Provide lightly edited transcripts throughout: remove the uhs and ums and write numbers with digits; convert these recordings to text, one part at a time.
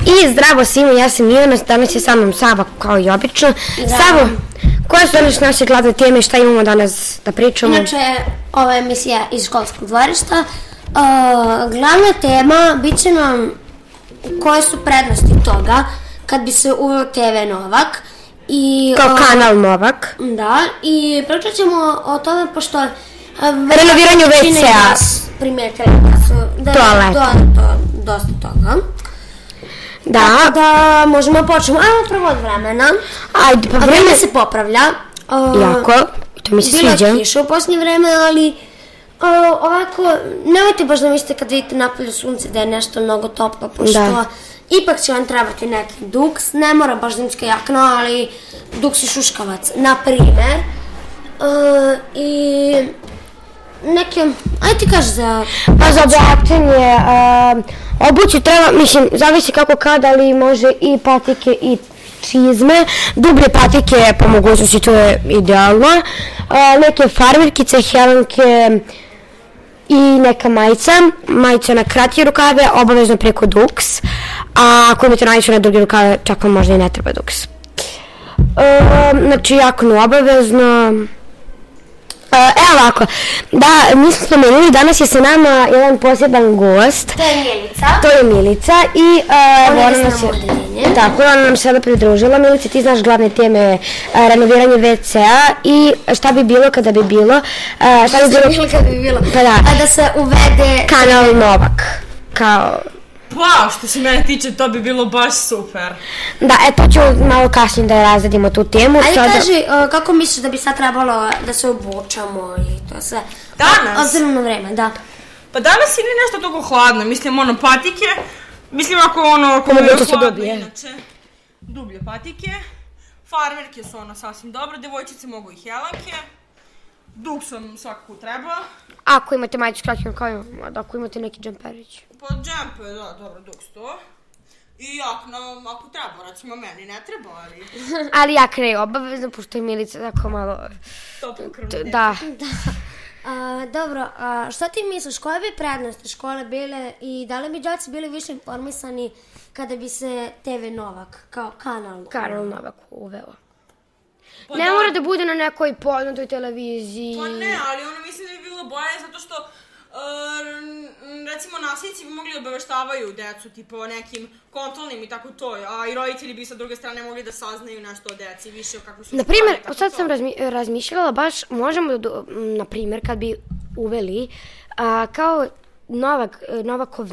I zdravo svima, ja sam Ivana, danas je sa mnom Sava kao i obično. Savo, koje su danas naše glavne teme, šta imamo danas da pričamo? Inače, ova je emisija iz školskog dvorišta. Glavna tema bit će nam koje su prednosti toga kad bi se uveo TV Novak. Kao kanal Novak. Da, i pričat ćemo o tome pošto renoviranju WC-a. Primetili da su dosta toga. Da. Tako da možemo početi. Ajmo prvo od vremena. Ajde, pa vreme se popravlja. Jako, to mi se sviđa. Bilo je kiša u posljednje vreme, ali ovako, nemojte baš da mislite kad vidite napolju sunce da je nešto mnogo toplo, pošto ipak će vam trebati neki duks, ne mora baš zimska jakna, ali duks i šuškavac, na primer. I neke, ajde ti kaži za... Pa za oblačenje, obuću treba, mislim, zavisi kako kada, ali može i patike i čizme, dublje patike po mogućnosti, to je idealno, neke farmerkice, helanke i neka majica na kratke rukave, obavezno preko duks, a ako imate najviše na duge rukave, čak vam možda i ne treba duks. Znači, jaknu obavezno. Evo ovako, da, mi smo spomenuli, danas je sa nama jedan posjeban gost. To je Milica i ona nam se pridružila. Milica, ti znaš glavne teme renoviranje WC-a i šta bi bilo kada bi bilo. Pa da se uvede kanal Novak, kao... Wow, što se mene tiče, to bi bilo baš super. Da, to ću malo kasnije da razradimo tu temu. Ajde kaži, kako misliš da bi sad trebalo da se obučamo i to sve? Danas? Obzirom na vreme, da. Pa danas ili nešto toliko hladno, mislim patike, mislim ako je hladno inače, dublje patike, farmerke su sasvim dobro, devojčice mogu i helanke, duksom svakako treba. Ako imate majicu s kratkim rukavima, ako imate neki džemperić. Pa džemper, da, dobro, duks to. I jakna, ako treba, recimo meni ne treba, ali... Ali jakna je obavezno, pošto je Milica tako malo... Toplokrvno dete. Da. Dobro, šta ti misliš, koje bi prednosti škole bile i da li bi đaci bili više informisani kada bi se TV Novak kao kanal Novak uveo? Ne mora da bude na nekoj poznatoj televiziji. Pa ne, ali mislim da bi bilo bolje zato što recimo nastavnici bi mogli obaveštavaju decu tipa o nekim kontrolnim i tako to, a i roditelji bi sa druge strane mogli da saznaju nešto o deci, više o kako su... Naprimjer, sad sam razmišljala baš, možemo da, naprimjer, kad bi uveli kao Novakov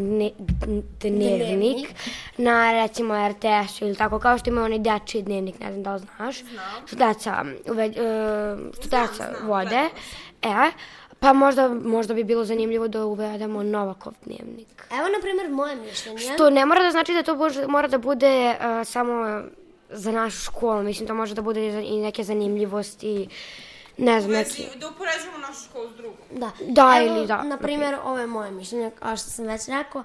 dnevnik na recimo RTS-u ili tako, kao što ima onaj dečiji dnevnik, ne znam da li znaš, što deca vode, pa možda bi bilo zanimljivo da uvedemo Novakov dnevnik. Evo, na primjer, moje mišljenje. Što ne mora da znači da to mora da bude samo za našu školu, mislim to može da bude i neke zanimljivosti, ne znam, neki... Da upoređujemo našu školu s drugom. Da, ili da. Evo, na primjer, ovo je moje mišljenje, kao što sam već rekao.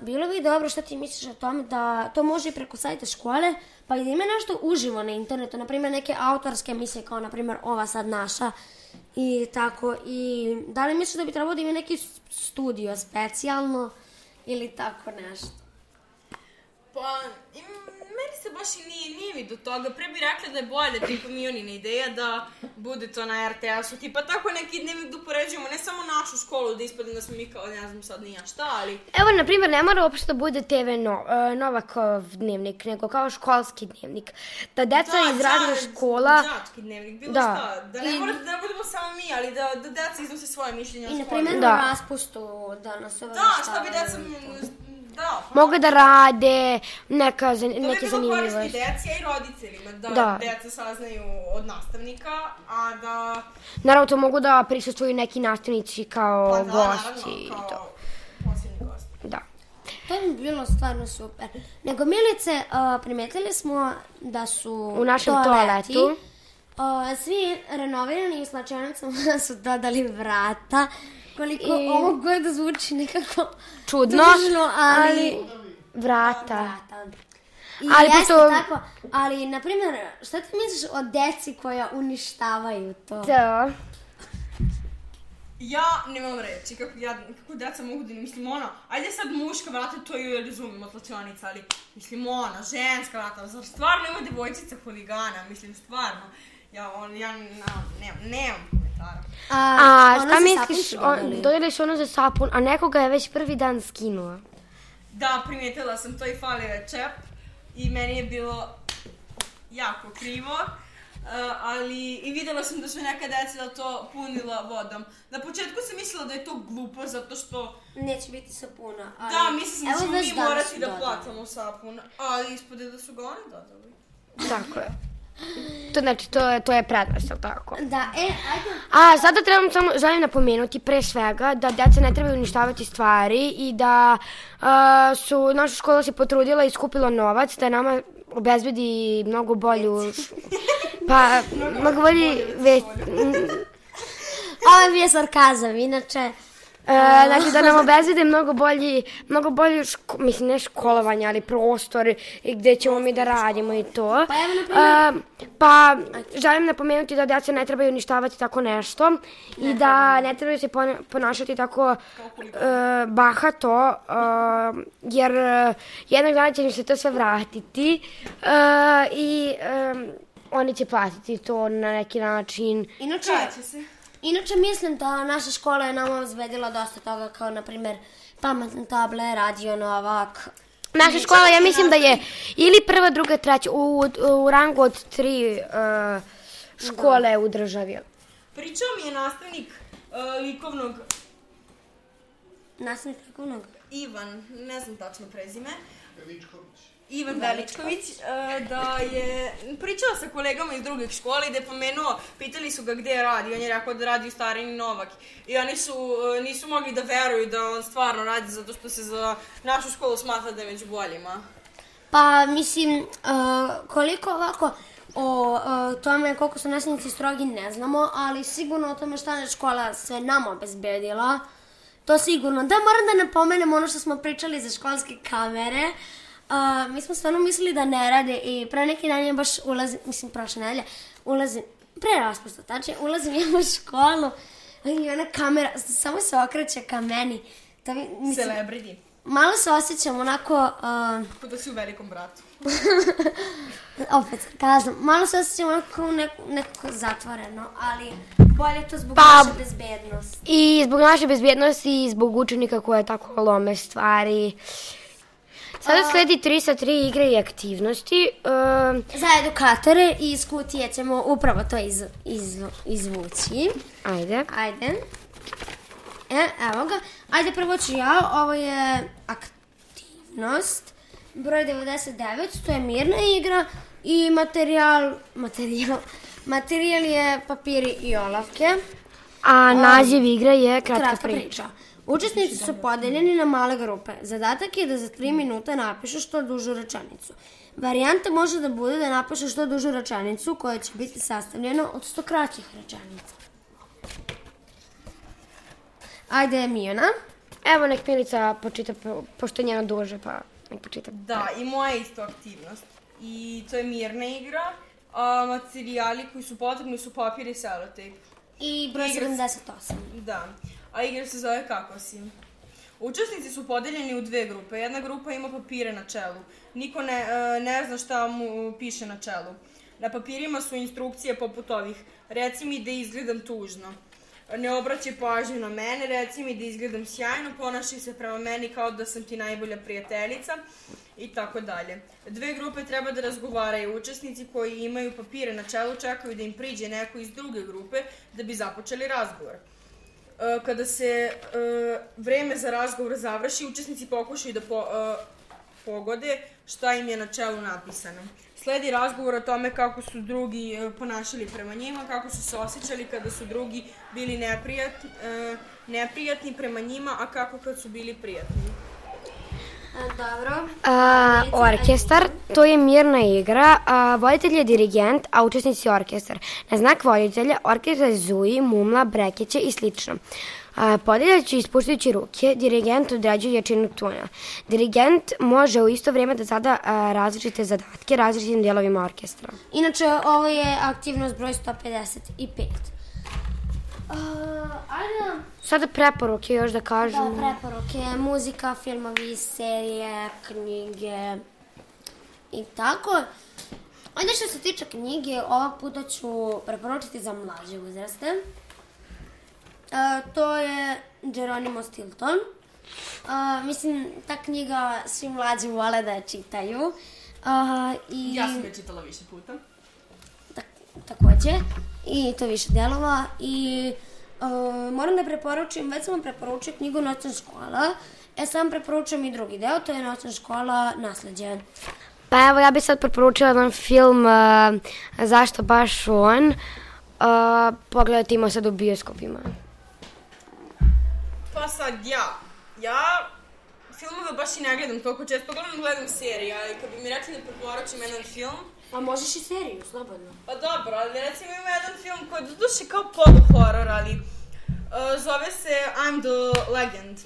Bilo bi dobro što ti misliš o tome da to može i preko sajta škole, pa i da ima nešto uživo na internetu, na primjer neke autorske emisije kao na primjer ova sad naša i tako. I da li misliš da bi trebalo da ima neki studio specijalno ili tako nešto? Pa, meni se baš i nije mi do toga. Pre bi rekla da je bolje, tipa Mionina ideja da bude to na RTS-u. Tipa tako neki dnevnik da upoređujemo, ne samo našu školu, da ispadne da smo mi kao, ne znam sad nija šta, ali... Evo, na primjer, ne mora uopšte da bude TV Novakov dnevnik, nego kao školski dnevnik. Da deca iz raznih škola... Đački dnevnik, bilo šta. Da ne budemo samo mi, ali da deca iznose svoje mišljenje o školi. I na primjer na raspustu da nas obaveštavaju. Da, šta bi deca... Mogu da rade neke zanimljivosti. To bi bilo korisni deci, a i roditeljima, da deca saznaju od nastavnika, a da... Naravno, to mogu da prisustvuju neki nastavnici kao gosti i to. Kao posljednji gosti. Da. To bi bilo stvarno super. Nego, Milice, primetili smo da su u našem toaletu svi renovirani i slačionicama su dodali vrata. Koliko ovo god da zvuči nekako čudno, ali vrata. I jeste tako, ali, na primjer, šta ti misliš o deci koja uništavaju to? Da. Ja nemam reći, kako deca mogu da ne mislim ajde sad muška vrata, to ju razumim od slačionica, ali mislim ženska vrata, zar stvarno ima devojčica huligana, mislim stvarno, ja nemam komentara. Šta misliš, dodeliš ono za sapun, a nekoga je već prvi dan skinuo? Da, primijetila sam to i falio je čep i meni je bilo jako krivo. Ali i videla sam da su neka deca to punila vodom. Na početku sam mislila da je to glupo zato što... Neće biti sapuna, ali... Da, mislim da ćemo mi morati da platamo sapun, ali ispode da su ga oni dodali. Tako je. To znači, to je prednost, ali tako? Da, ajde. Sada želim napomenuti pre svega da deca ne trebaju uništavati stvari i da su naša škola se potrudila i skupila novac da nama obezbedi mnogo bolju... Pa, mnogo bolji... Ovo je bio sarkazam, inače... Znači da nam obezbede mnogo bolji, mislim ne školovanje, ali prostor gde ćemo mi da radimo i to. Pa želim napomenuti da deca ne trebaju uništavati tako nešto i da ne trebaju se ponašati tako bahato, jer jednog dana će im se to sve vratiti i oni će platiti to na neki način. Inače mislim da naša škola je nama obezbedila dosta toga, kao na primjer pametne table, radio Novak. Naša škola, ja mislim da je ili prva, druga, treća, u rangu od 3 škole u državi. Pričao mi je nastavnik likovnog... Nastavnik likovnog? Ivan, ne znam tačno prezime. Ivan Veličković, da je pričala sa kolegama iz drugih škola i da je pomenuo, pitali su ga gde radi, on je rekao da radi u Starini Novak i oni nisu mogli da veruju da on stvarno radi zato što se za našu školu smatra da je među boljima. Pa mislim, koliko ovako o tome koliko su nastavnici strogi ne znamo, ali sigurno o tome šta je škola sve nama obezbedila, to sigurno. Da, moram da napomenem ono što smo pričali za školske kamere. Mi smo stvarno mislili da ne rade i pre neki dan je baš prošle nedelje, pre raspusta, tačnije, ulazim ja u školu i ona kamera samo se okreće ka meni. Celebrity. Malo se osjećam onako... Kao da si u Velikom bratu. Opet, kazam, malo se osjećam onako nekako zatvoreno, ali bolje to zbog naše bezbednosti. I zbog naše bezbednosti i zbog učenika koje tako lome stvari. Sada sledi 3 sa 3 igre i aktivnosti. Za edukatore i iz kutije ćemo upravo to izvući. Ajde. Evo ga. Ajde, prvo ću ja. Ovo je aktivnost. Broj 99, to je mirna igra. I materijal je papiri i olovke. A naziv igre je kratka priča. Učesnici su podeljeni na male grupe. Zadatak je da za 3 minuta napišu što dužu rečenicu. Varijanta može da bude da napišu što dužu rečenicu koja će biti sastavljena od 100 kraćih rečenica. Ajde, Mijana. Evo, nek Milica počita, pošto je njena duže, pa nek počita. Da, i moja isto aktivnost. I to je mirna igra, a materijali koji su potrebni su papir i selotejp. I broj 78. Da. A igra se zove Kako si. Učesnici su podeljeni u 2 grupe. Jedna grupa ima papire na čelu. Niko ne zna šta mu piše na čelu. Na papirima su instrukcije poput ovih. Reci mi da izgledam tužno. Ne obraćaj pažnju na mene. Reci mi da izgledam sjajno. Ponašaj se prema meni kao da sam ti najbolja prijateljica. I tako dalje. 2 grupe treba da razgovaraju. Učesnici koji imaju papire na čelu čekaju da im priđe neko iz druge grupe da bi započeli razgovor. Kada se vreme za razgovor završi, učesnici pokušaju da pogode šta im je na čelu napisano. Sledi razgovor o tome kako su drugi ponašali prema njima, kako su se osjećali kada su drugi bili neprijatni prema njima, a kako kad su bili prijatni. Dobro. Orkestar, to je mirna igra. Voditelj je dirigent, a učesnici orkestar. Na znak voditelja orkestar zuji, mumla, brekeće i slično. Podijeljajući i ispuštajući ruke, dirigent određuje jačinu tona. Dirigent može u isto vrijeme da zada različite zadatke različitim dijelovima orkestra. Inače, ovo je aktivnost broj 155. Ajde, Sada preporuke još da kažem. da, preporuke, muzika, filmovi, serije, knjige i tako. Ajde što se tiče knjige, ovog puta ću preporučiti za mlađe uzraste. To je Geronimo Stilton. Mislim, ta knjiga svi mlađi vole da je čitaju. Ja sam je čitala više puta. Takođe. I to više delova. I moram da preporučim, već sam vam preporučio knjigu Noćna škola. Sam preporučujem i drugi deo, to je Noćna škola Nasleđe. Pa evo, ja bih sad preporučila jedan film Zašto baš on. Pogledajte, ima sad u bioskopima. Pa sad ja filmove baš i ne gledam toliko često, gledam serije, ali kad bi mi rekli da preporučim jedan film... A možeš i seriju, slobodno. Pa dobro, ali recimo ima jedan film koji je doduše kao polu-horor, ali zove se I'm the Legend.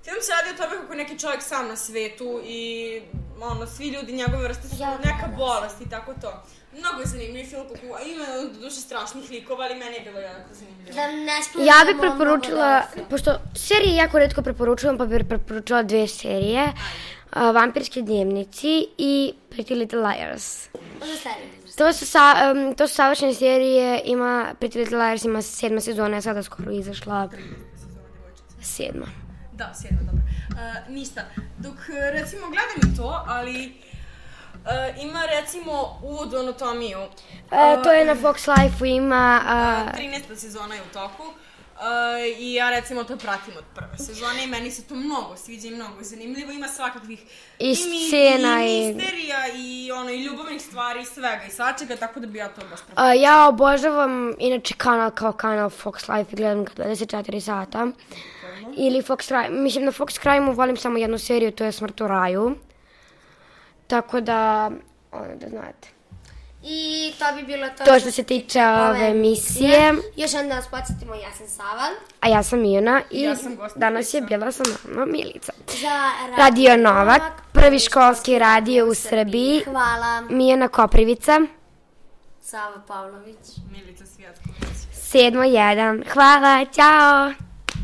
Film se radi o tome kako neki čovjek sam na svetu i svi ljudi njegove vrste su neka bolest i tako to. Mnogo je zanimljiv film, ima doduše strašnih likova, ali meni je bilo jako zanimljivo. Ja bih preporučila, pošto serije jako retko preporučujem, pa bih preporučila 2 serije. Vampirski dnevnici i Pretty Little Liars. To su savršene serije, Pretty Little Liars ima 7. sezona, je sada skoro izašla 7. Da, 7, dobro. Ništa, dok recimo gledam i to, ali ima recimo uvod u anatomiju. To je na Fox Life-u, ima... 13. sezona je u toku. I ja recimo to pratim od prve sezone i meni se to mnogo sviđa i mnogo zanimljivo. Ima svakakvih i scena i misterija i ljubavnih stvari i svega i svačega, tako da bi ja to baš preporučila. Ja obožavam inače kanal kao kanal Fox Life i gledam ga 24 sata. Ili Fox Crime, mislim na Fox Crime-u volim samo jednu seriju, to je Smrt u raju. Tako da, da znate. I to bi bilo to što se tiče ove emisije. Još jednom da vas podsjetimo, ja sam Sava. A ja sam Mijana i danas je bila sa nama Milica. Radio Novak, prvi školski radio u Srbiji. Hvala. Mijana Koprivica. Sava Pavlović. Milica Svijatković. 7.1. Hvala, ćao.